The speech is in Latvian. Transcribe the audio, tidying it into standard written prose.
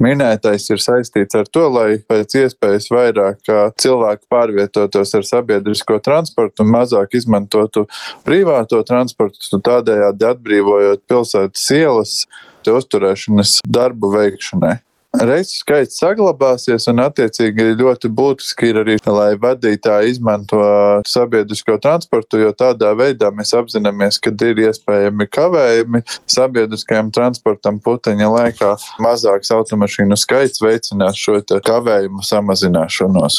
Minētais ir saistīts ar to, lai pēc iespējas vairāk cilvēku pārvietotos ar sabiedrisko transportu un mazāk izmantotu privāto transportu, tādējādi atbrīvojot pilsētas ielas uzturēšanas darbu veikšanai. Reisu skaits saglabāsies un attiecīgi ļoti būtiski ir arī, lai vadītāji izmanto sabiedrisko transportu, jo tādā veidā mēs apzināmies, ka ir iespējami kavējumi sabiedriskajam transportam puteņa laikā. Mazāks automašīnu skaits veicinās šo kavējumu samazināšanos.